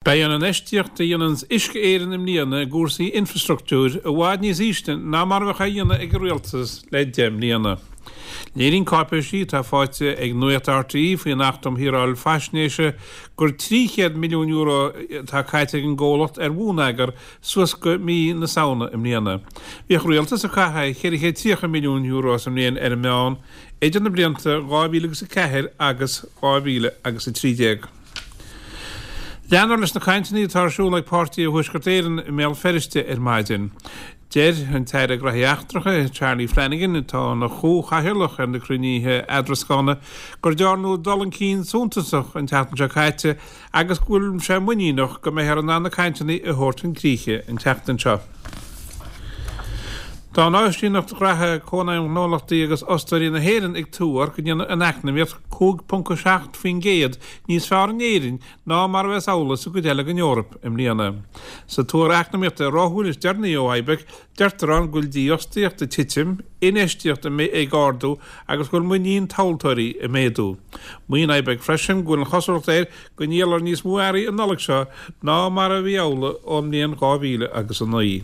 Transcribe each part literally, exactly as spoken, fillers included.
Beidh an infheistíocht a dhéanann Uisce Éireann i mbliana i gcúrsaí infreastruchtúir i bhfad níos ísle ná mar a bheadh á dhéanamh ag an rialtas le deich mbliana. Léiríonn cáipéisí atá faighte ag Nuacht RTÉ faoin Acht um Shaoráil Faisnéise gur trí chéad milliún euro atá caite ag an gcomhlacht ar bhonneagar suas go mí na Samhna i mbliana. Bhíodh rialtas ag caitheamh ceithre chéad tríocha milliún euro sa mbliain ar an meán idir na blianta dhá mhíle agus a ceathair agus dhá mhíle agus a trí déag. Leanfar leis na cainteanna atá ar siúl ag páirtithe Thuaisceart Éireann i mBéal Feirste ar maidin. Deir an tAire Gnóthaí Eachtracha, Charlie Flanagan, atá ina chomhchathaoirleach ar na cruinnithe eadrascána, gur dearnadh dul chun cinn suntasach an tseachtain seo caite agus go bhfuil sé muiníneach go mbeifear in ann na cainteanna a thabhairt chun críche an tseachtain seo. Tá an Áisíneacht Ghraithe Cónaidhm Ghnólachtaí agus Fhostóirí na hÉireann ag tuar go ndéanfaidh an eacnamaíocht cúig ponc a seacht faoin gcéad níos fearr in Éirinn ná mar a bheas amhlaidh sa gcuid eile den Eoraip i mbliana. Sa tuar eacnamaíochta ráithiúil is deireanaí ó IBEC, deirtear ann go bhfuil dífhostaíocht ag titim, infheistíocht ag ardú agus go bhfuil muinín tomhaltóirí ag méadú. Maíonn IBEC freisin go bhfuil an chosúlacht air go ndíolfar níos mó earraí an Nollaig seo ná mar a bhí amhlaidh ón mbliain dhá mhíle agus a naoi.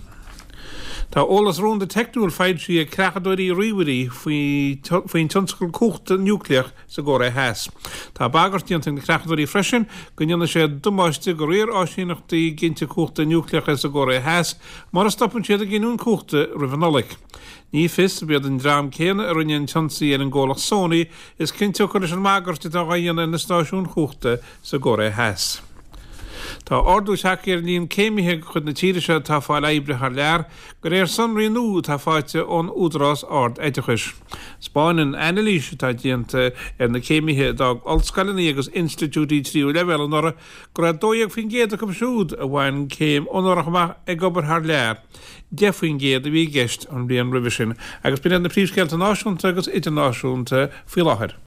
Tá eolas rúnda teicniúil foilsithe ag creachadóirí ríomhairí faoin tionscal cumhachta núicléach sa gCóiré Theas. Tá bagairt déanta ag na creachadóirí freisin go ndéanfaidh sé damáiste go fhíor-áisíneachtaí ginte cumhachta núicléacha sa gCóiré Theas mura stopann siad ag giniúint cumhachta roimh an Nollaig. Ní fios ab iad an dream céanna a rinne an t-ionsaí ar an gcomhlacht Sony is cionsiocair leis an mbagairt atá á dhéanamh ar na stáisiúin chumhachta sa gCóiré Theas. Tá ardú tagtha ar an líon céimithe de chuid na tíre seo atá ag fáil oibre thar lear, de réir sonraí nua atá faighte ón Údarás Ard-Oideachais. 'Spáineann anailís atá déanta ar na céimithe a d'fhág ollscoileanna agus institiúidí tríú leibhéal anuraidh go raibh dó dhéag faoin gcéad acu siúd a bhain céim onórach amach ag obair thar lear, deich faoin gcéad a bhí i gceist an bhliain roimhe sin. Agus b'in iad na príomhscéalta náisiúnta agus idirnáisiúnta faoi láthair.